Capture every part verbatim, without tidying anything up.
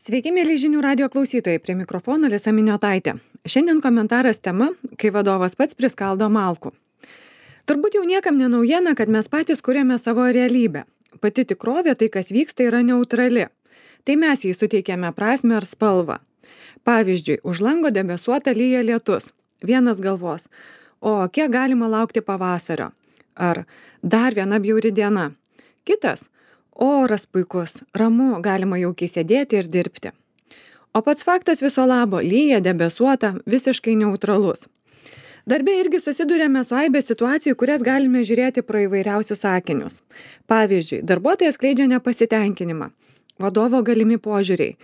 Sveiki, mėly žinių radio klausytojai, prie mikrofono Lisa Miniotaitė. Šiandien komentaras tema, kai vadovas pats priskaldo malkų. Turbūt jau niekam nenaujiena, kad mes patys kuriame savo realybę. Pati tikrovė, tai kas vyksta, yra neutrali. Tai mes jai suteikėme prasmę ar spalvą. Pavyzdžiui, už lango debesuota lyja lietus. Vienas galvos, o kiek galima laukti pavasario? Ar dar viena bjauri diena? Kitas, oras puikus, ramu, galima jaukiai sėdėti ir dirbti. O pats faktas viso labo, lyja, debesuota, visiškai neutralus. Darbe irgi susidurėme su aibė situacijų, kurias galime žiūrėti pro įvairiausius sakinius. Pavyzdžiui, darbuotojas skleidžia nepasitenkinimą, vadovo galimi požiūriai.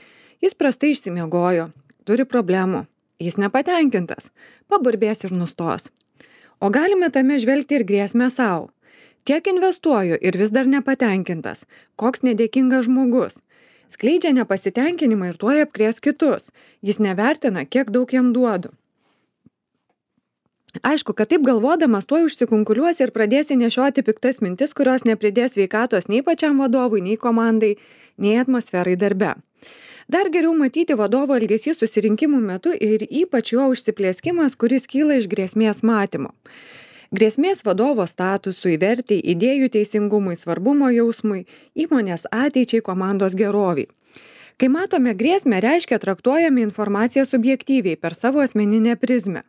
Jis prastai išsimiegojo, turi problemų, jis nepatenkintas, paburbės ir nustos. O galime tame žvelgti ir grėsmę savo. Kiek investuoju ir vis dar nepatenkintas, koks nedėkingas žmogus. Skleidžia nepasitenkinimą ir tuoj apkrės kitus. Jis nevertina, kiek daug jam duodu. Aišku, kad taip galvodamas tuoj užsikunkuliuosi ir pradėsi nešioti piktas mintis, kurios nepridės sveikatos nei pačiam vadovui, nei komandai, nei atmosferai darbe. Dar geriau matyti vadovo elgesį susirinkimų metu ir ypač jo užsiplėskimas, kuris kyla iš grėsmės matymo. Grėsmės vadovo statusui, vertei, idėjų teisingumui, svarbumo jausmui, įmonės ateičiai, komandos geroviai. Kai matome grėsmę, reiškia traktuojame informaciją subjektyviai per savo asmeninę prizmę.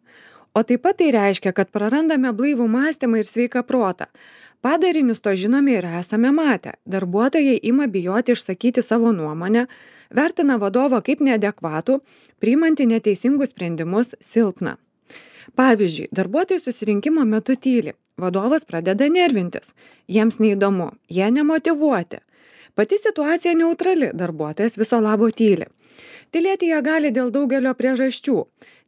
O taip pat tai reiškia, kad prarandame blaivų mąstymą ir sveiką protą. Padarinius to žinome ir esame matę. Darbuotojai ima bijoti išsakyti savo nuomonę, vertina vadovą kaip neadekvatų, priimanti neteisingus sprendimus silpną. Pavyzdžiui, darbuotojai susirinkimo metu tyli, vadovas pradeda nervintis, jiems neįdomu, jie nemotyvuoti. Pati situacija neutrali, darbuotojas viso labo tyli. Tylėti jie gali dėl daugelio priežasčių.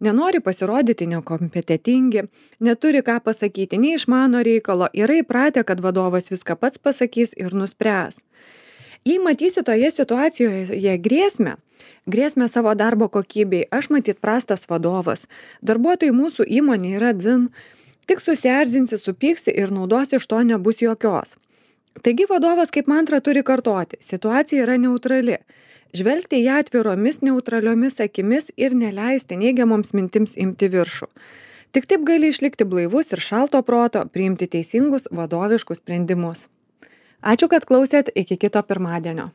Nenori pasirodyti nekompetentingi, neturi ką pasakyti, neišmano reikalo, yra įpratę, kad vadovas viską pats pasakys ir nuspręs. Jei matysi toje situacijoje grėsmę, grėsmę savo darbo kokybei, aš matyt prastas vadovas, darbuotojai mūsų įmonė yra dzin, tik susierzinsi, supyksi ir naudos iš to nebus jokios. Taigi vadovas kaip mantra turi kartoti, situacija yra neutrali, žvelgti ją atviromis neutraliomis akimis ir neleisti neigiamoms mintims imti viršų. Tik taip gali išlikti blaivus ir šalto proto, priimti teisingus vadoviškus sprendimus. Ačiū, kad klausėt, iki kito pirmadienio.